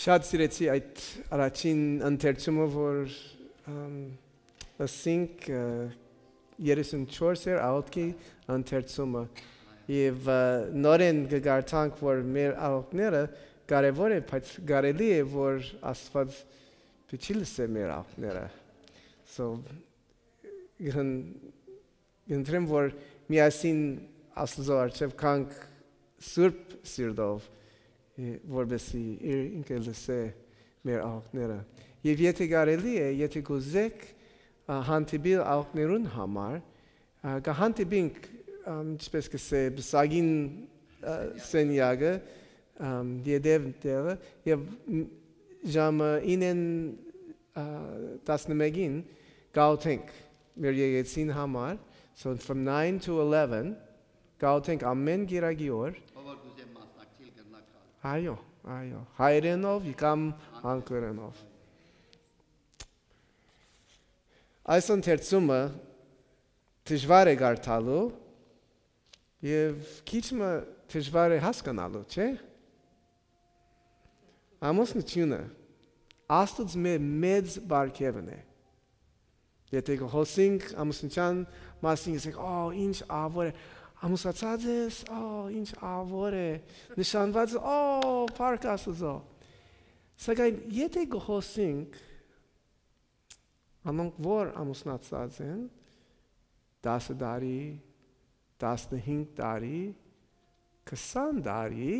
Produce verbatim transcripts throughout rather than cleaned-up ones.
Շատ սիրեցի այդ առաջին ընթերցումը, որ, ըմ, ըսինք, ը, երեսուն չորս էր աղօթքի ընթերցումը։ Եւ, ը, նորէն կը կարդանք, որ մեր աղօթքները կարեւոր է, բայց կարելի է, որ Աստուած պիտի լսէ մեր աղօթքները։ So, կն-, կընտրեմ, որ միասին Աստուծոյ առջեւ գանք սուրբ սիրտով, ը, որպեսզի իր ինքը լսէ մեր աղօթքները։ Եւ եթէ կարելի է, եթէ կուզէք, ա, հանդիպիլ աղօթքներուն համար, ա, կը հանդիպինք, ամ, ինչպես կ'ըսէ, պսակին, ա, սենեակը, ամ, յետեւ տեղը, եւ, մ, ժամը ինեն, ա, տասնմէկին կ'աղօթենք մեր եկեղեցին համար, so from nine to eleven, կ'աղօթենք ամէն կիրակի օր։ Ով որ կ'ուզէ մասնակցիլ, կրնայ գալ։ Այո, այո, հայերէնով կամ անգլերէնով։ Այս ընթերցումը դժուար է կարդալու եւ քիչ մը դժուար է հասկանալու, չէ՞։ Ամուսնութիւնը Աստուծմէ մեծ պարգեւն է։ Եթէ կը խօսինք ամուսնութեան մասին, կ'ըսենք, «Ա, ինչ աղաւոր է»։ Ամուսնացած ես, «Ա, ինչ աղաւոր է»։ Նշանված ես, «Ա, փառք Աստուծոյ»։ Սակայն եթէ կը խօսինք անոնք, որ ամուսնացած են, տասը տարի, տասնհինգ տարի, քսան տարի,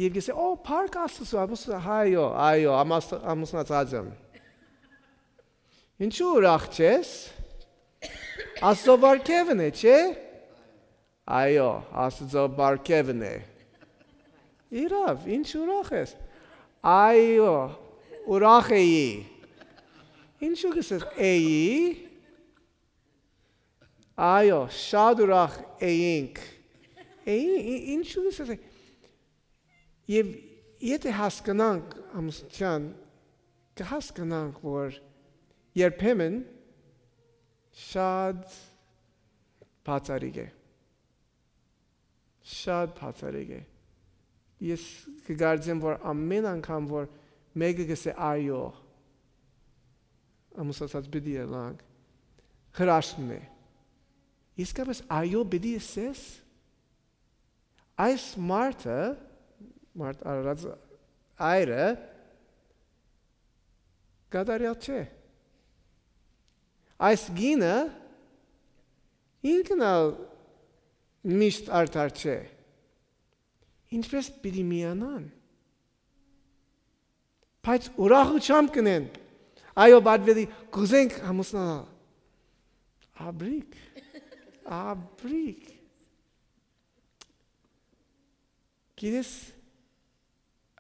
եւ կ'ըսէ, «Ա, փառք Աստուծոյ, ամուսնա-, այո, այո, ամաս-, ամուսնացած եմ»։ Ինչու ուրախ չես։ Աստուծոյ պարգեւն է, չէ՞։ Այո, Աստուծոյ պարգեւն է։ Իրաւ, ինչ ուրախ ես։ Այո, ուրախ էի։ Ինչու կ'ըսես էի։ Այո, շատ ուրախ էինք։ Էի, ի-, ինչու կ'ըսես է։ Եւ եթէ հասկնանք ամուսնութեան, կը հասկնանք, որ երբեմն շատ բացառիկ է։ Շատ բացառիկ է։ Ես կը կարծեմ, որ ամէն անգամ, որ մէկը կ'ըսէ «այո», ամուսնացած պիտի ըլլանք, հրաշքն է։ Իսկապէս այո պիտի ըսես։ Այս մարդը, մարդ արարած այրը, կատարյալ չէ։ Այս կինը ինքն ալ միշտ արդար չէ։ Ինչպէս պիտի միանան։ Բայց ուրախութեամբ կ'ընեն։ Այո, պատվելի, կ'ուզենք ամուսնանալ։ Աբրիկ, աբրիկ։ Գիտես,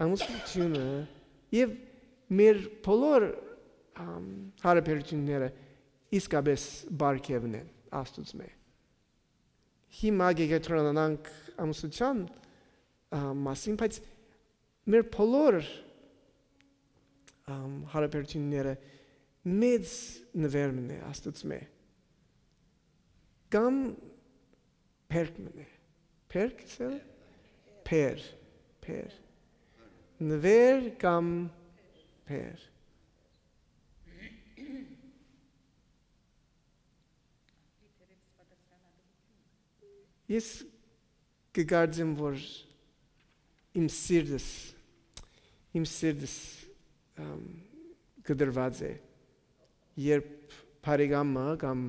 ամուսնութիւնը եւ մեր բոլոր, ամ, հարաբերութիւնները իսկապէս պարգեւն են Աստուծմէ։ Հիմա կ'եգետրոնանանք ամուսնութեան, ա, մասին, բայց մեր բոլոր, ամ, հարաբերութիւնները մեծ նուէր մըն է Աստուծմէ։ Կամ բերք մըն է։ Բերք ըսել։ Բեր, բեր։ Նուէր կամ բեր։ Ես կը կարծեմ, որ իմ սիրտս, իմ սիրտս, ամ, կտրուած է, երբ բարեկամը կամ,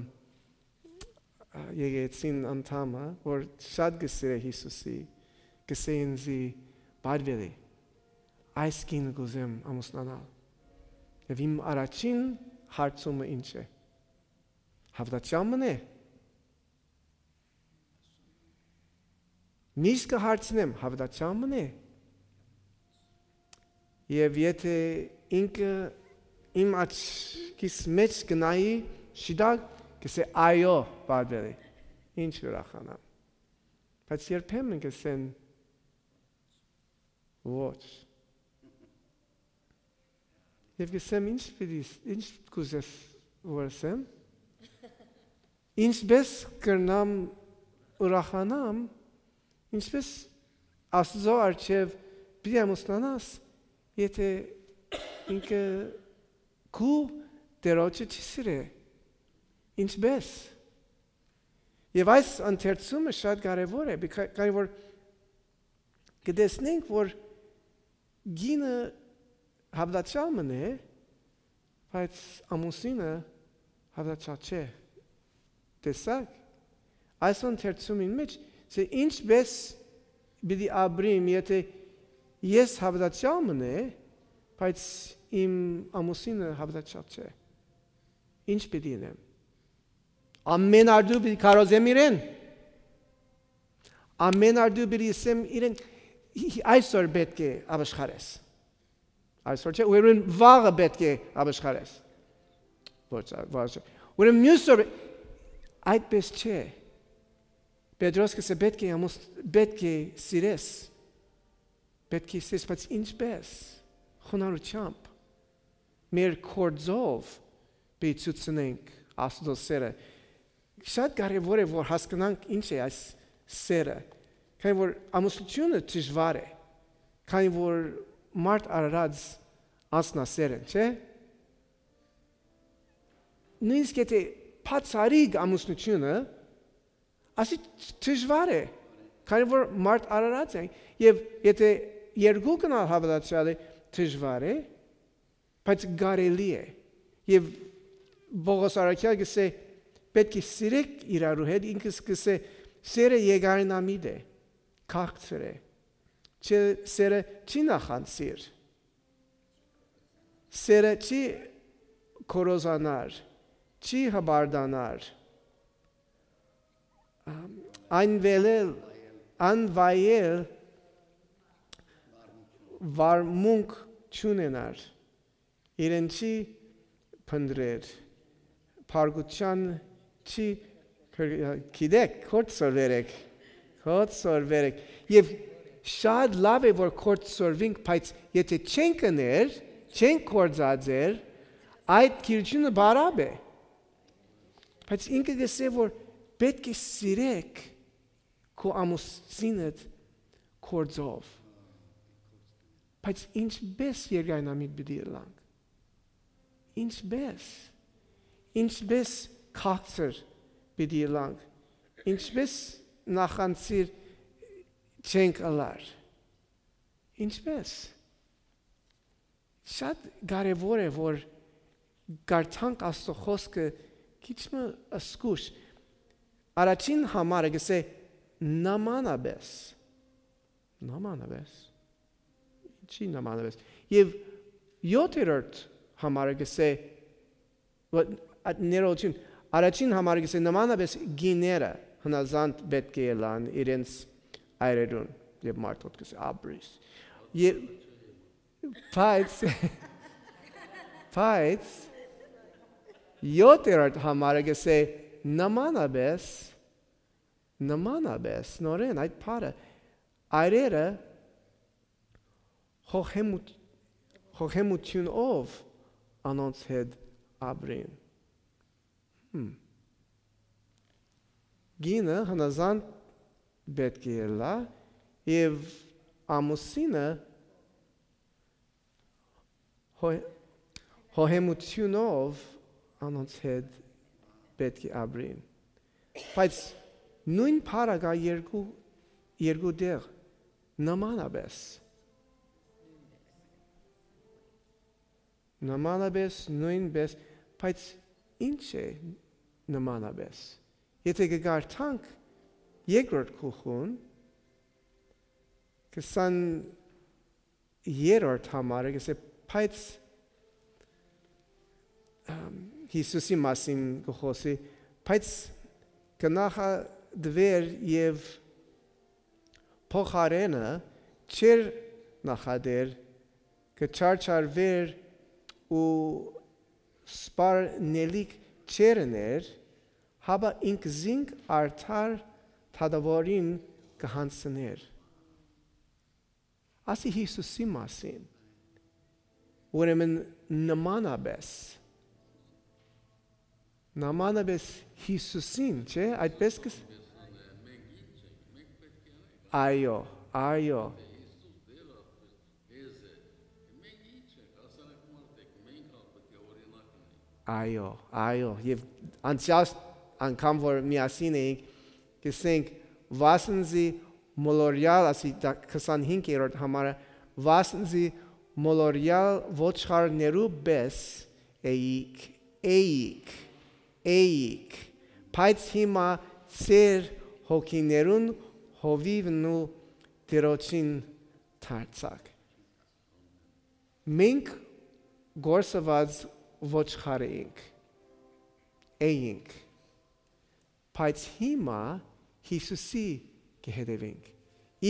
ա, եկեղեցին անդամը, որ շատ կը սիրէ Յիսուսի, կ'ըսէ ինծի. «Պատվելի, այս կինը կ'ուզեմ ամուսնանալ»։ Եւ իմ առաջին հարցումը ի՞նչ է։ Հաւատացեալ մըն է։ Միշտ կը հարցնեմ, հաւատացեալ մըն է։ Եւ եթէ ինքը իմ աչքիս մէջ կը նայի, շիտակ, կ'ըսէ. «Այո, պատվելի, ինչ ուրախանամ»։ Բայց երբեմն կ'ըսեն. «Ոչ»։ Եւ կ'ըսեմ. «Ինչ պիտի, ինչ կ'ուզես որ ըսեմ, ինչպէս կրնամ ուրախանամ, ինչպէս Աստուծոյ առջեւ պիտի ամուսնանաս, Եթէ ինքը քու Տէրոջը չի սիրէ, ինչպէս։ Եւ այս ընթերցումը շատ կարեւոր է, բիքա-, քանի որ կը տեսնենք, որ կինը հաւատացեալ մըն է, բայց ամուսինը հաւատացեալ չէ։ Տեսա՞ք։ Այս ընթերցումին մէջ, թե ինչպէս պիտի ապրիմ, եթէ ես հաւատացեալ մըն է, բայց իմ ամուսինը հաւատացեալ չէ։ Ինչ պիտի ընեմ։ Ամեն արտու պիտի քարոզեմ իրեն։ Ամեն արտու պիտի ըսեմ իրեն, «Այսօր պէտք է ապաշխարես»։ Այսօր չէ, ուրեմն վաղը պէտք է ապաշխարես։ Ոչ, ոչ, չէ։ Ուրեմն մյուս օր այդպես չէ։ Պետրոս կ'ըսէ, «Պէտք է ամուս-, պէտք է սիրես»։ Պէտք է սիրես, բայց ինչպէս։ Խոնարհությամբ, մեր գործով պիտի ցուցնենք Աստուծոյ սէրը։ Շատ կարեւոր է, որ հասկնանք ինչ է այս սէրը, քանի որ ամուսնութիւնը դժուար է, քանի որ մարդ արարած անձնասէր են, չէ՞։ Նոյնիսկ եթէ բացառիկ ամուսնութիւնը, ասի դժուար է, քանի որ մարդ արարած է, եւ եթէ երկուքն ալ հաւատացեալ է, դժուար է, բայց կարելի է։ Եւ Պողոս առաքեալ կ'ըսէ, «Պէտք է սիրեք իրարու հետ», ինքս կ'ըսէ, «Սէրը երկայնամիտ է, քաղցր է, չէ, սէրը չի նախանձիր, սէրը չի գոռոզանար, չի հպարտանար, անվայել, անվայել վարմունք չունենար, իրեն չի փնտռեր, բարկութեան չի կր-, գիտեք, գործ սորվեր եք, գործ սորվեր եք»։ Եւ շատ լաւ է, որ գործ սորվինք, բայց եթէ չենք ըներ, չենք գործածեր, այդ գիրությունը բարապ է։ Բայց ինքը կ'ըսէ, որ պէտք է սիրեք քու ամուսինդ գործով։ Բայց ինչպէս երկայնամիտ պիտի ըլլանք։ Ինչպէս։ Ինչպէս քաղցր պիտի ըլլանք։ Ինչպէս նախանձիր չենք ըլլար։ Ինչպէս։ Շատ կարեւոր է, որ կարդանք Աստուծոյ խօսքը քիչ մը զգուշ։ Առաջին համարը կ'ըսէ նմանապէս։ Նմանապէս։ Ինչի՞ նմանապէս։ Եւ յոթերորդ համարը կ'ըսէ, որ, ա, ներողություն, առաջին համարը կ'ըսէ նմանապէս կիները հնազանդ պէտք է ըլլան իրենց այրերուն, եւ մարդ յոթ կ'ըսէ, «Ապրիս»։ Եւ, բայց, բայց, յոթերորդ համարը կ'ըսէ նմանապէս, նմանապէս, նորէն այդ բառը, այրերը խոհեմութ-, խոհեմութիւնով անոնց հետ ապրին։ Հմ։ Կինը հնազանդ պէտք է ըլլայ եւ ամուսինը հո-, խոհեմութիւնով անոնց հետ պէտք է ապրին։ Բայց նոյն բառը կայ երկու, երկու տեղ, նմանապէս։ Նմանապէս, նոյնպէս, բայց ի՞նչ է նմանապէս։ Եթէ կը կարդանք երկրորդ գլխուն, քսան երրորդ համարը կ'ըսէ, բայց, ըմ, Յիսուսի մասին կը խօսի, բայց կը նախատուէր եւ փոխարէնը չէր նախատեր, կը չարչարուէր ու սպառնելիք չէր ըներ, հապա ինքզինք արդար դատաւորին կը յանձնէր։ Ասի Յիսուսի մասին։ Ուրեմն նմանապէս, նմանապէս Յիսուսին, չէ՞, այդպես կը-, այո, այո, Այո, այո, եւ անցեալ անգամ որ միասին էինք, կ'ըսենք, վասն զի մոլորեալ, ասի քսանհինգերորդ համարը, վասն զի մոլորեալ ոչխարներու պէս էիք, էիք, էիք, բայց հիմա ձեր հոգիներուն հովիւն ու Տիրոջին դարձաք։ Մենք կորսուած ոչխար էինք, էինք, բայց հիմա Յիսուսի կը հետեւենք,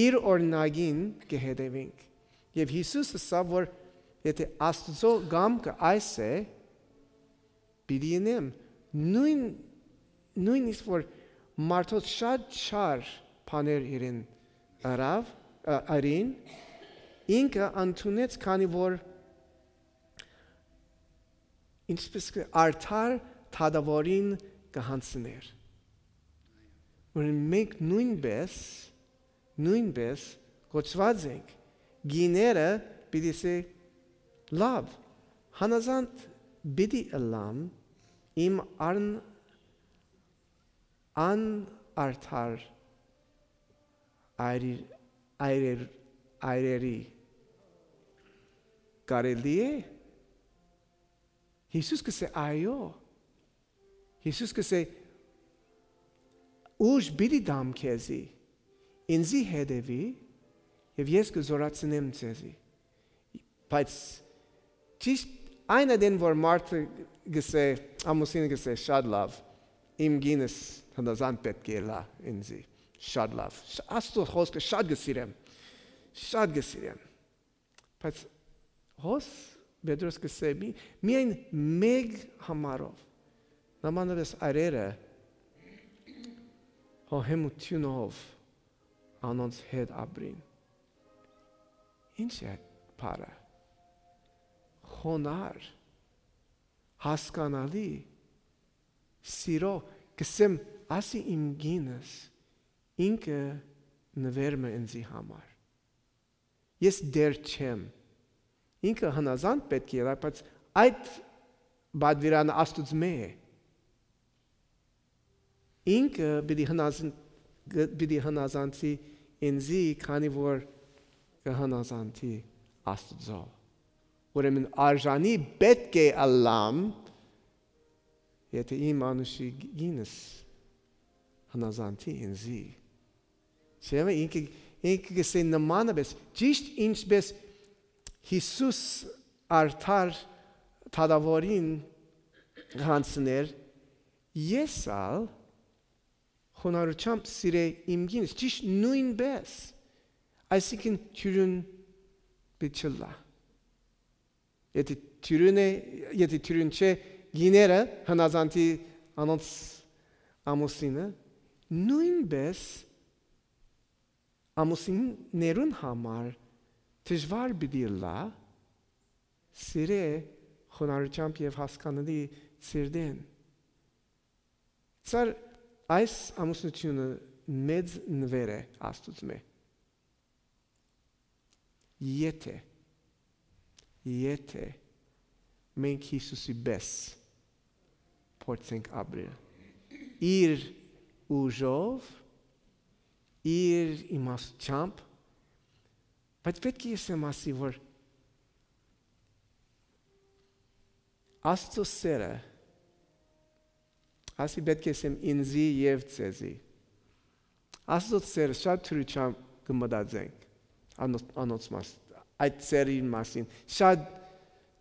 իր օրինակին կը հետեւենք։ Եւ Յիսուս ըսաւ, որ եթէ Աստուծոյ կամքը այս է, պիտի ընեմ։ Նոյն, նոյնիսկ որ մարդոց շատ չար բաներ իրեն ըրաւ, ը, ըրին, ինքը ընդունեց, քանի որ, ինչպես կը, արդար դատաւորին կը յանձներ։ Որ մենք նոյնպէս, նոյնպէս կոչուած ենք, կիները պիտի սե, լաւ, հնազանդ պիտի ըլլամ իմ արն-, անարդար այրի-, այրեր-, այրերի։ Կարելի է։ Յիսուս կ'ըսէ, այո։ Յիսուս կ'ըսէ, ուժ պիտի տամ քեզի, ինծի հետեւի, եւ ես կը զօրացնեմ քեզի։ Բայց ճիշտ այն ատեն որ մարդը կ'ըսէ, ամուսինը կ'ըսէ, շատ լաւ, իմ կինս հնազանդ պէտք է ըլլայ ինծի, շատ լաւ, շ-, Աստուծոյ խօսքը շատ կը սիրեմ, շատ կը սիրեմ։ Բայց հոս Պետրոս կ'ըսէ, մի-, միայն մէկ համարով, նմանապէս արերը հոհեմութիւնով անոնց հետ ապրին։ Ի՞նչ է այդ բառը։ Խոնար, հասկանալի, սիրո, կ'ըսեմ, ասի իմ կինս, ինքը նուէր մը ինծի համար։ Ես դեր չեմ։ Ինքը հնազանդ պէտք է ըլլայ, բայց այդ պատուիրանը Աստուծմէ է։ Ինքը պիտի հնազն-, գ-, պիտի հնազանդի ինծի, քանի որ կը հնազանդի Աստուծոյ։ Ուրեմն արժանի պէտք է ըլլամ, եթէ իմ անուշի կինս հնազանդի ինծի։ Չէ՞, ինքը, ինքը կ'ըսէ նմանապէս, ճիշտ ինչպէս Յիսուս արդար դատաւորին յանձներ, ես ալ խոնարհութեամբ սիրէ իմ կինս, ճիշտ նոյնպէս, այսինքն թիւրին պիտի չըլլայ։ Եթէ թիւրին է, եթէ թիւրին չէ, կիները հնազանդի անոնց ամուսինը, նոյնպէս ամուսիններուն համար դժուար պիտի ըլլայ սիրե խոնարհութեամբ եւ հասկանալի սիրտէն։ Ծառ այս ամուսնութիւնը մեծ նուէր է Աստուծմէ։ Եթէ, եթէ մենք Յիսուսի պէս փորձենք ապրել, իր ուժով, իր իմաստությամբ, բայց պէտք է ես եմ ասի, որ Աստծո սերը, ասի պէտք է ես եմ ինծի եւ ձեզի։ Աստծո սերը շատ դրությամբ կը մտածենք, անոնց, անոնց մաս, այդ սերի մասին շատ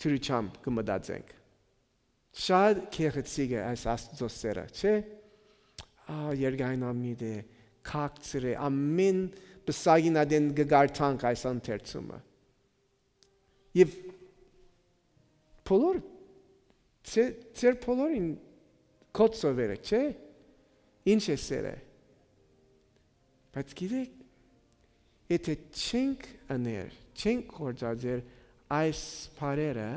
դրությամբ կը մտածենք։ Շատ գեղեցիկ է այս Աստծո սերը, չէ՞։ Ա, երկայնամիտ է, քաղցր է, ամեն պսակին ատեն կը կարդանք այս ընթերցումը։ Եւ բոլոր, ձեր, ձեր բոլորին կոչ սովերը, չէ՞։ Ինչ է սերը։ Բայց գիտեք, եթե չենք ըներ, չենք գործածեր այս բառերը,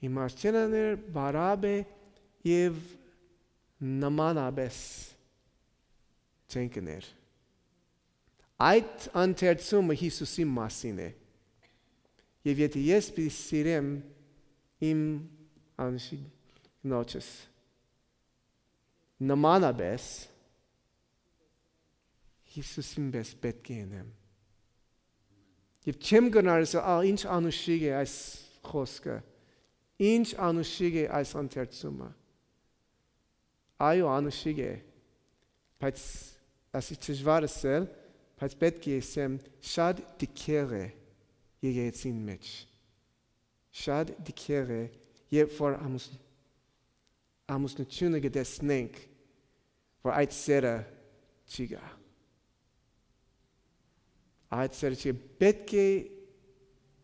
իմաստ չեն ունենար, բառապէ եւ նմանապէս չենք ըներ։ Այդ ընթերցումը Յիսուսի մասին է։ Եւ եթէ ես պիտի սիրեմ իմ անուշիկ կնոջս նմանապէս Յիսուսին պէս պէտք է ընեմ։ Եւ չեմ կրնար ասել, «Ա, ինչ անուշիկ է այս խօսքը, ինչ անուշիկ է այս ընթերցումը»։ Այո, անուշիկ է, բայց ասի դժուար ըսել, բայց պէտք է ըսեմ, շատ դիքեղ է եկեղեցին մէջ։ Շատ դիքեղ է, երբ որ ամուսն-, ամուսնութիւնը կը տեսնենք, որ այդ սերը չի գայ։ Այդ սերը չի, պէտք է,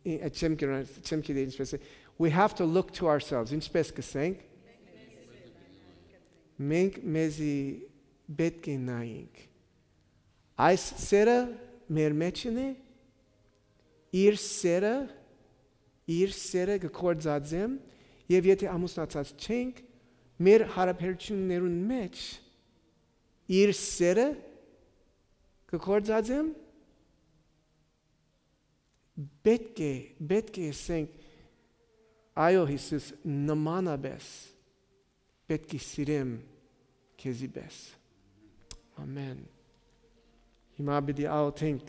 ի-, չեմ գիտեր, չեմ գիտեր ինչպես է, we have to look to ourselves, ինչպես կսենք, մենք մեզի պէտք է նայենք։ Այս սերը մեր մեջ է, իր սերը, իր սերը կը գործածեմ, եւ եթե ամուսնացած չենք, մեր հարաբերություններուն մեջ իր սերը կը գործածեմ, պէտք է, պէտք է ասենք, «Այո, Յիսուս, նմանապէս պէտք է սիրեմ քեզի պէս»։ Ամեն։ Հիմա պիտի աղոթենք